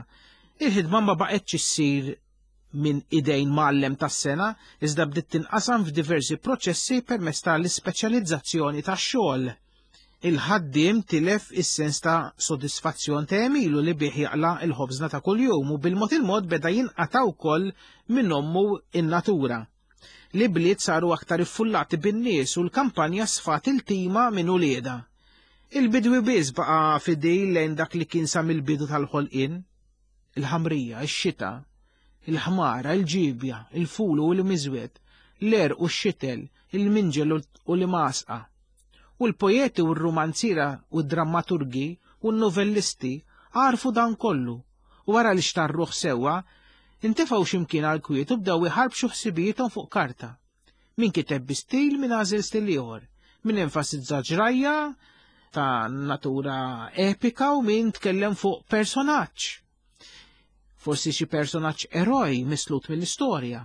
Il-ħidma ma baqgħetx issir minn idejn mgħallem tas-sena, iżda bdiet tinqasam f'diversi proċessi permezz tal-ispeċjalizzazzjoni tax-xogħol. Il-ħaddiem tilef is-sens ta' sodisfazzjon ta' għemilu li bih jaqla il-ħobżna ta' kuljum u bil-mod il-mod beda jinqata' wkoll minn ommu in-natura. L-ibliet saru aktar iffullati bin-nies u l-kampanja sfat il-tima minn uliedha. Il-bidwi biss baqa' fidil lejn dak li kien sa mill-bidu tal-ħolqien. Il-ħamrija, ix-xita, il-ħmara, il-ġibja, il-fulu u l-miżwed, l-għerq u x-xitel, il-minġel u l-masqa. U l-poeti u r-romanzira u d-drammaturgi u n-novellisti għarfu dan kollu u wara li xtarruh sewwa intefgħu x'imkien għal kwiet u bdew iħarbxu ħsibijiethom fuq karta. Min kiteb bi stil, min għażel stil ieħor, min enfasizza ġrajja ta' natura epika u min tkellem fuq personaġġ. Forsi xi personaġġ eroj mislut mill-istorja.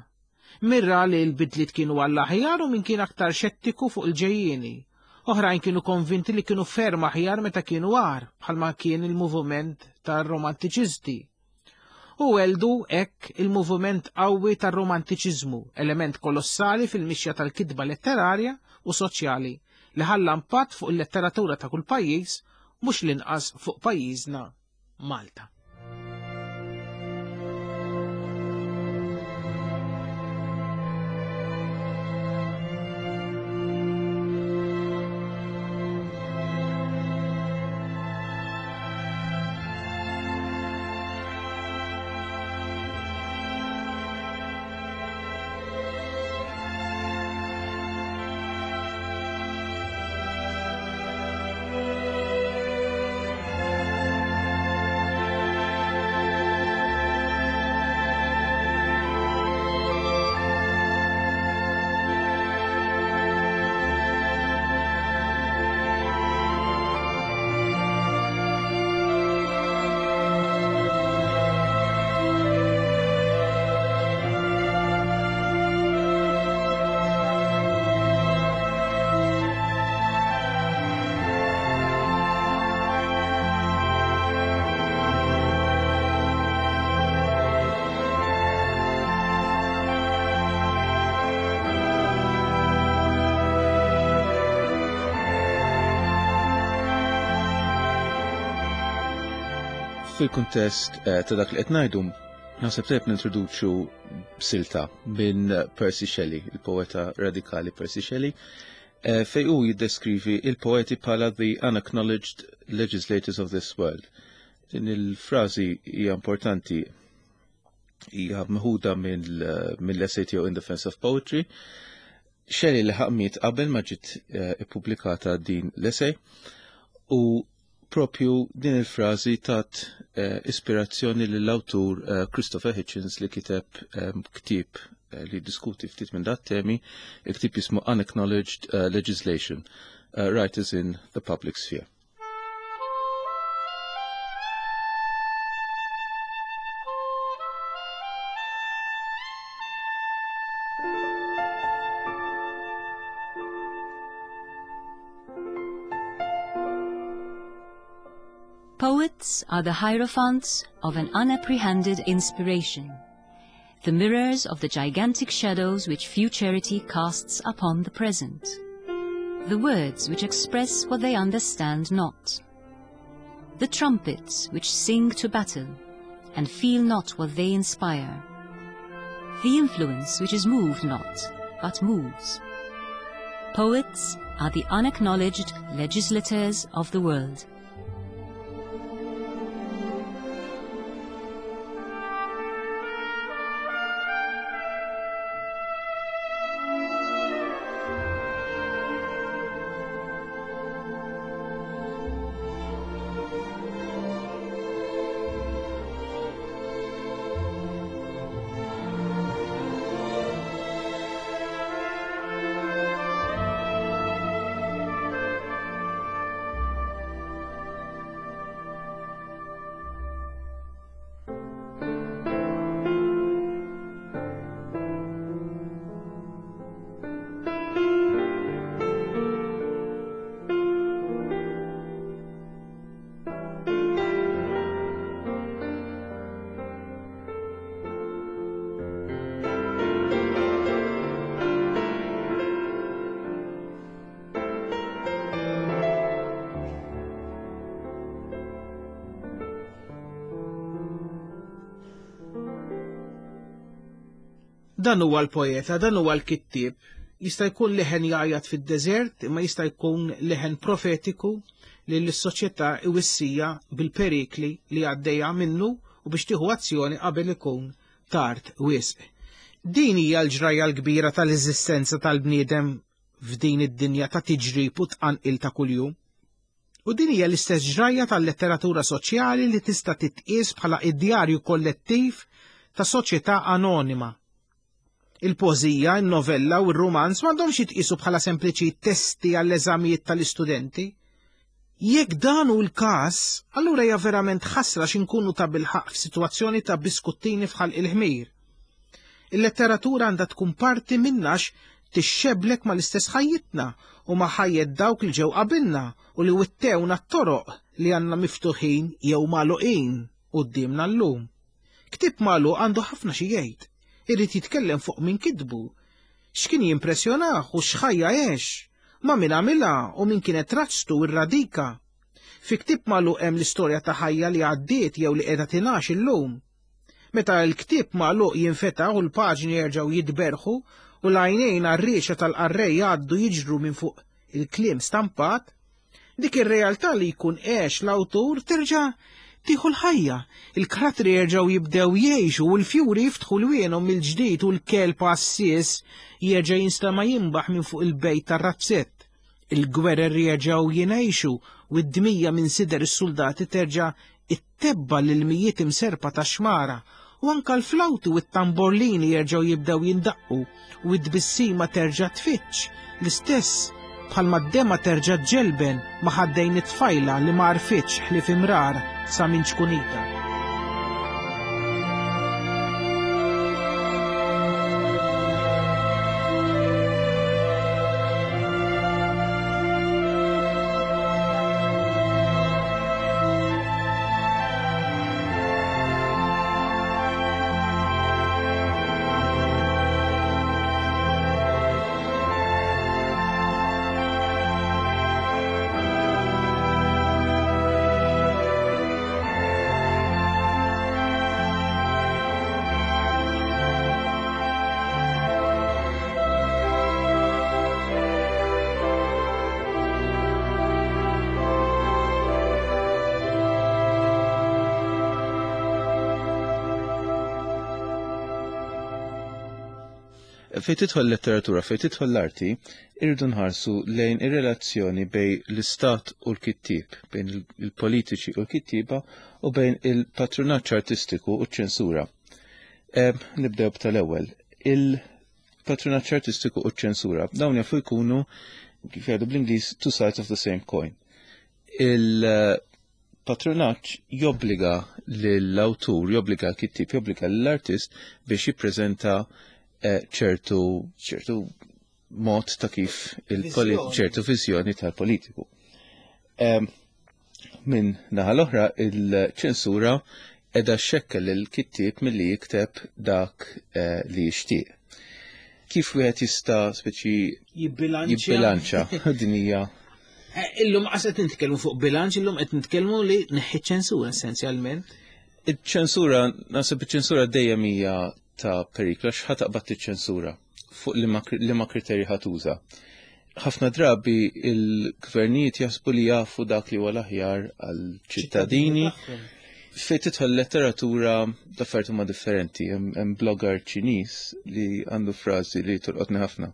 Mirra li l-bidliet kienu għall-aħjar u min kien aktar xettiku fuq il-ġejjieni. Oħrajn kienu konvinti li kienu ferm aħjar meta kienu għar, bħalma kien il-moviment tar-romantiċisti. U weldu hekk il-moviment qawwi tar-romantiċiżmu, element kolossali fil-mixja tal-kitba letterarja u soċjali li ħalla impatt fuq il-letteratura ta' kull pajjiż, mhux l-inqas fuq pajjiżna Malta. Fil-kuntest ta' dak li qed ngħidu, naħseb tajjeb nintroduċu silta minn Percy Shelley, il-poeta radikali Percy Shelley, fejn hu jiddeskrivi il-poeti bħala the unacknowledged legislators of this world. Din il-frażi hija importanti, hija meħuda mill-essay tiegħu In Defense of Poetry. Shelley li miet qabel ma ġiet ippubblikata din l-essay u propju din il-frażi tat eh, ispirazzjoni lill-awtur eh, Christopher Hitchens li kiteb eh, ktieb eh, li diskuti ftit minn dat temi, il-ktieb jismu Unacknowledged uh, Legislation, uh, Writers in the Public Sphere. Poets are the hierophants of an unapprehended inspiration, the mirrors of the gigantic shadows which futurity casts upon the present, the words which express what they understand not, the trumpets which sing to battle and feel not what they inspire, the influence which is moved not, but moves. Poets are the unacknowledged legislators of the world. Dan huwa l-poeta, dan huwa l-kittieb. Jista' jkun leħen jgħajjat fid-deżert, imma jista' jkun leħen profetiku li l-soċjetà iwissija bil-perikli li għaddejja minnu u biex tieħu azzjoni qabel ikun tard wisq. Din hija l-ġrajja l-kbira tal-eżistenza tal-bniedem f'din id-dinja ta' tiġrib u tqanqil ta' kuljum. U din hija l-istess ġrajja tal-letteratura soċjali li tista' titqies bħala id-djarju kollettiv ta' soċjetà anonima. Il-poeżija, il-novella u r-rumanz m'għandhomx jitqisu bħala sempliċi testi għall-eżamijiet tal-istudenti. Jekk dan hu l-każ, allura hija verament ħasra x'inkunu ta' bilħaq f'sitwazzjoni ta' biskuttini f'ħalq il-ħmir. Il-letteratura għandha tkun parti minnax tixxeblek mal-istess ħajjitna u ma' ħajjet dawk li ġew qabilna u li wittewna t-toroq li għandna miftuħin jew magħluqin quddiemna llum. Ktieb magħluq għandu ħafna xi jgħid. Irid jitkellem fuq min kitbu, x'kien jimpressjonah u x'ħajja għex, ma' min għamilha u min kienet razztu u r-radika. Fi ktieb magħluq hemm l-istorja ta' ħajja li għaddiet jew li qiegħda tingħax illum. Meta l-ktieb magħluq jinfetaħ u l-paġni jerġgħu jitberħu u l-għajnejn għar-riexa tal-qarrej jgħaddu jiġru minn fuq il-kliem stampat, dik ir-realtà li jkun għex l-awtur terġa' tieħu l-ħajja, il-kratri jerġgħu jibdew jgħixu u l-fjuri jiftħu lwienhom mill-ġdid u l-kelb għassies jerġa' jinstema' jinbaħ minn fuq il-bejt tar-razzett. Il-gwerer jerġgħu jingħixu u d-dmija minn sider is-soldati terġa' ittebba l-ilmijiet imserpa ta' xmara u anka l-flawti u t-tamborlini jerġgħu jibdew jindaqqu u d-tbissima terġa' tfittx l-istess bħalma d-dema terġa' ġelben ma' ħaddejn it-tfajla li ma għarfitx ħlief imrar sa minn ċkunita. Fejn tidħol letteratura, fejn tidħol l-arti, irridu nħarsu lejn ir-relazzjoni bejn l-istat u l-kittieb, bejn il-politiċi u l-kittieba u bejn il-patrunaġġ artistiku u ċ-ċensura. Nibdew b'tal-ewwel. Il-patrunaġġ artistiku u ċ-ċensura dawn jafu jkunu, kif jgħidu bl-Ingliż, two sides of the same coin. Il-patrunaġġ jobbliga lill-awtur, jobbliga l-kittieb, jobbliga lill-artist biex jippreżenta ċertu ċertu mod ta' kif ċertu viżjoni tal-politiku. Min naħa l-oħra, il-ċensura edha xekkel il-kittieb milli jikteb dak li jixtieq. Kif wieħed jista' speċi jibbilanċa din hija? Illum qas qed nitkellmu fuq bilanċ, illum qed nitkellmu li neħħi ċensura essenzjalment. Iċ-ċensura, naħseb iċ-ċensura dejjem hija ta' periklu, għax ħa taqbad iċ-ċensura fuq liema kriterji ħa tuża. Ħafna drabi il-gvernijiet jaħsbu li jafu dak li huwa l-aħjar għall-ċittadini. Fejn tidħol letteratura l-affarijiet huma differenti. Hemm blogger Ċiniż li għandu frażi li tolqotni ħafna.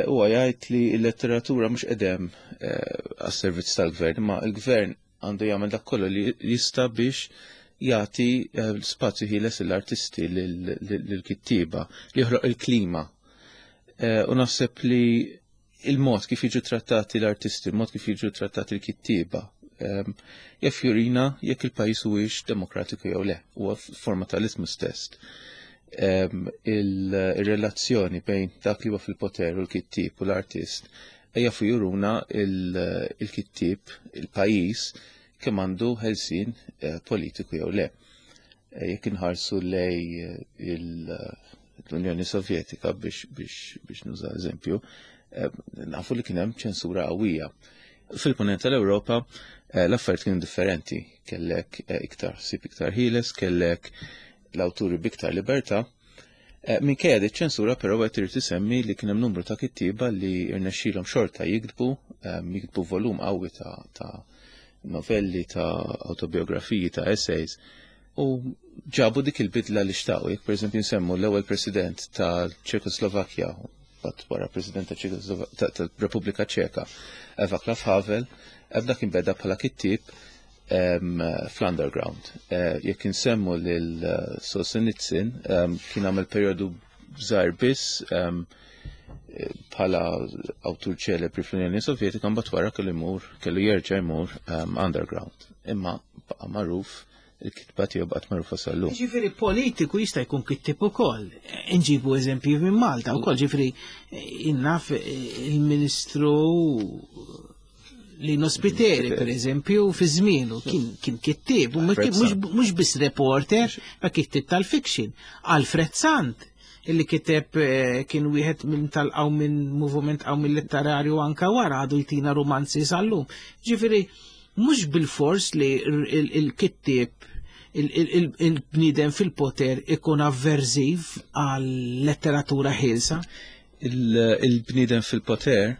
Huwa jgħid li l-letteratura mhux qedem għas-servizz tal-gvern, imma l-gvern għandu jagħmel dak kollu li jista' biex jagħti spazju ħieles lill-artisti, lill-kittieba, li joħloq il-klima. U naħseb li il-mod kif jiġu trattati l-artisti, il-mod kif jiġu trattati l-kittieba, jaf jurina jekk il-pajjiż huwiex demokratiku jew le, huwa forma ta' litmus test. Il-relazzjoni bejn dak li huwa fil-poter u l-kittieb u l-artist jafu juruna il-kittieb, il-pajjiż, kemm għandu ħelsien politiku jew le. Jekk inħarsu lej l-Unjoni Sovjetika biex biex nuża eżempju, nafu li kien hemm ċensura qawwija. Fil-punent tal-Ewropa l-affarijiet kienu differenti, kellek iktar ħsieb iktar ħieles, kellek l-awturi b'iktar libertà. Eh, minkejja di ċensura però qed irid isemmi li kien hemm numru ta' kittieba li rnexxielhom xorta jiktbu, ehm, jiktbu volum qawwi ta', ta novelli, ta' autobiografiji, ta' essays, u ġabu dik il-bidla li xtaqu. Jekk pereżempju nsemmu l-ewwel president ta' Ċekoslovakkja, bat wara president ta' tal-Repubblika Ċeka, Václav Havel, ebda kien beda bħala kittieb fl-underground. Eh, jekk insemmu lil eh, Solzhenitsyn, kien għamel perjodu żgħir biss bħala awtur ċelebri fl-Unjoni Sovjetika, mbagħad wara kellu jmur, kellu jerġa' jmur underground. Imma baqa' magħruf, il-kitba tiegħu baqgħet magħrufa sal-lum. Ġifieri politiku jista' jkun kittib ukoll. Inġibu eżempji minn Malta wkoll, ġifieri innaf il-Ministru Lino Spiteri, per eżempju, fi żmienu kien kien kittib, u mhux biss reporter, ma kittib tal-fiction. Alfred Sant, illi kiteb eh, kien wieħed minn tal-qaw minn moviment qaw minn letterarju anka wara, għadu jtina romanzi sal-lum. Ġifieri, mhux bil-fors li il-kittib, il-bniedem fil-poter ikun avverziv għal letteratura ħielsa. Il-bniedem fil-poter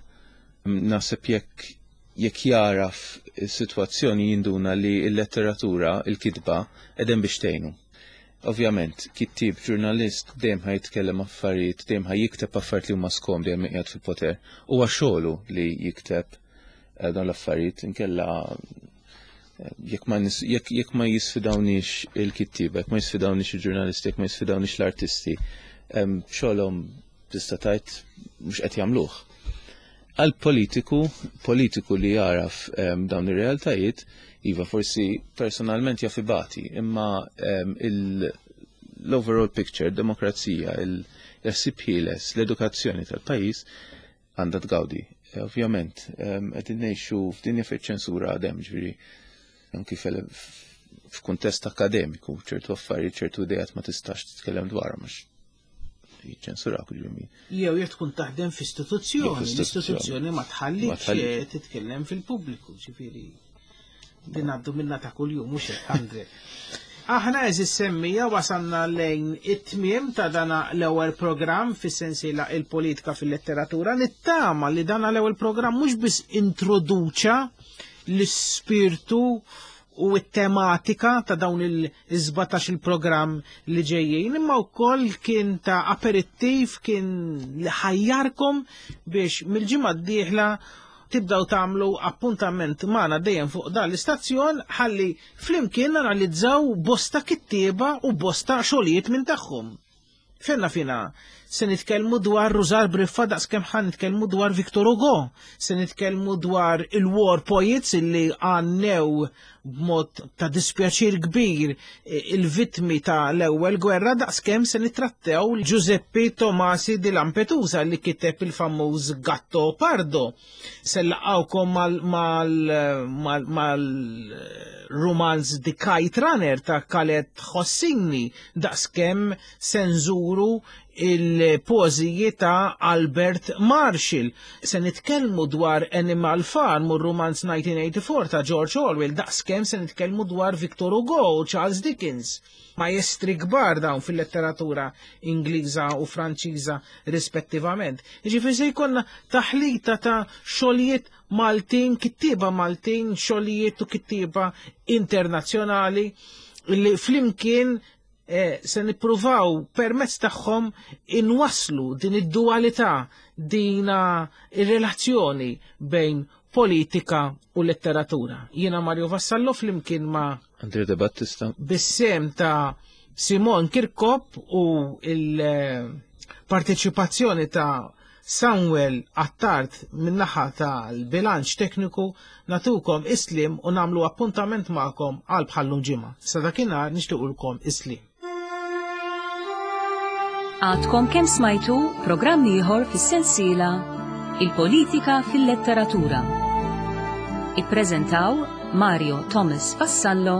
naħseb jekk jekk jaraf is-sitwazzjoni jinduna li l-letteratura, il-kitba, edem biex tgħinu. Ovvjament, kittib, ġurnalist dejjem ħa jitkellem affarijiet, dejjem ħa jikteb affarijiet li huma skomdi hemm qiegħed fil-poter. Huwa xogħlu li jikteb eh, dawn l-affarijiet, inkella eh, jekk ma jekk jekk ma jisfidawniex il-kittiba, jekk ma jisfidawniex il-ġurnalisti, jekk ma jisfidawniex l-artisti, xogħolhom tista' tgħid mhux qed jagħmluh. Għal politiku, politiku li jaraf um, dawn ir-realtajiet, iva forsi personalment jaf ibati, imma um, l-overall picture, demokrazija, il-ħsieb ħieles, l-edukazzjoni tal-pajjiż għandha tgawdi. Eh, ovvjament, qegħdin ngħixu f'dinja fejn ċensura għadem, ġifieri anki f'kuntest akademiku, ċertu affarijiet, ċertu idejat ma tistax titkellem dwarhom għax jiċċensurak, ġifieri. Jew jekk tkun taħdem f'istituzzjoni, l-istituzzjoni ma tħallikx titkellem fil-pubbliku, ġifieri. Din għaddu minna ta' kuljum, mhux hekk, Andre? Aħna, għeżież semmiegħa, wasalna lejn it-tmiem ta' dana l-ewwel programm fis-sensiela Il-Politika fil-Letteratura. Nittama li dana l-ewwel programm mhux biss introduċa l-ispirtu u t-tematika ta' dawn il-sbatax il-programm li ġejjin, imma wkoll kien ta' aperittiv, kien li ħajjarkom biex mill-ġimgħa d-dieħla tibdaw tagħmlu appuntament magħna dejjem fuq dan l-istazzjon ħalli flimkien analizzaw bosta kittieba u bosta xogħlijiet minn tagħhom. Fenna fina, se nitkellmu dwar Rużar Briffa daqs kemm ħan nitkellmu dwar Victor Hugo, se nitkellmu dwar il-War Poets illi għannew b'mod ta' dispjaċir kbir il-vittmi ta' l-ewwel gwerra, daqs kemm se nitrattew Giuseppe Tomasi di Lampedusa li kiteb il-famuż Gatto Pardo. Se laqgħukom mal-romanz The Kite Runner ta' Khaled Hosseini, daqs kemm se nżuru il-poeżiji ta' Albert Marshall. Se nitkellmu dwar Animal Farm u romanz nineteen eighty-four ta' George Orwell, daqskemm se nitkellmu dwar Victor Hugo u Charles Dickens. Maestri kbar dawn fil-letteratura Ingliża u Franċiża rispettivament. Jiġifieri se jkollna taħlita ta' xogħlijiet Maltin, kittieba Maltin, xogħlijiet u kittieba internazzjonali li flimkien eh, se nippruvaw permezz tagħhom inwaslu din id-dualità, dina ir-relazzjoni bejn politika u letteratura. Jiena Mario Vassallo flimkien ma' Andrea De Battista, bis-sehem ta' Simon Kirkop u il-parteċipazzjoni ta' Samuel Attard min-naħa tal-bilanċ tekniku, natukom is-sliem u nagħmlu appuntament magħkom għal bħallum ġimgħa. Sa dakinhar nixtiequlkom is-sliem. Għadkom kemm smajtu programm ieħor fis-sensiela Il-Politika fil-Letteratura. Ippreżentaw Mario Thomas Vassallo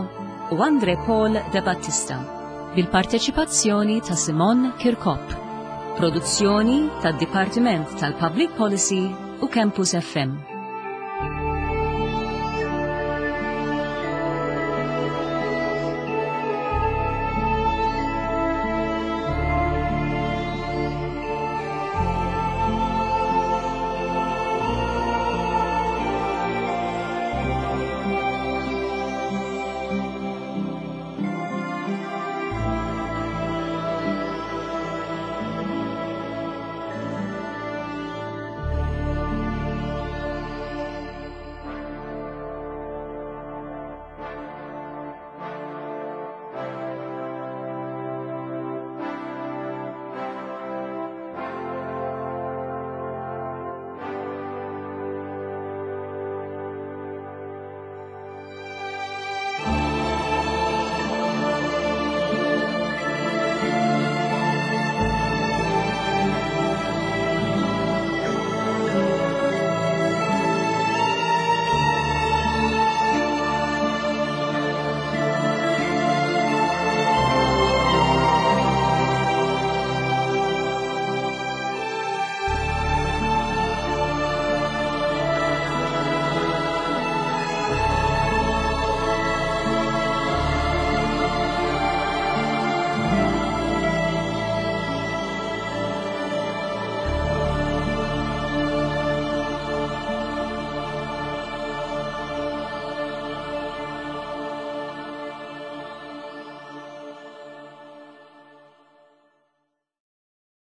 u Andre Paul De Battista bil-parteċipazzjoni ta' Simon Kirkop. Produzzjoni tad-Dipartiment tal-Public Policy u Campus F M.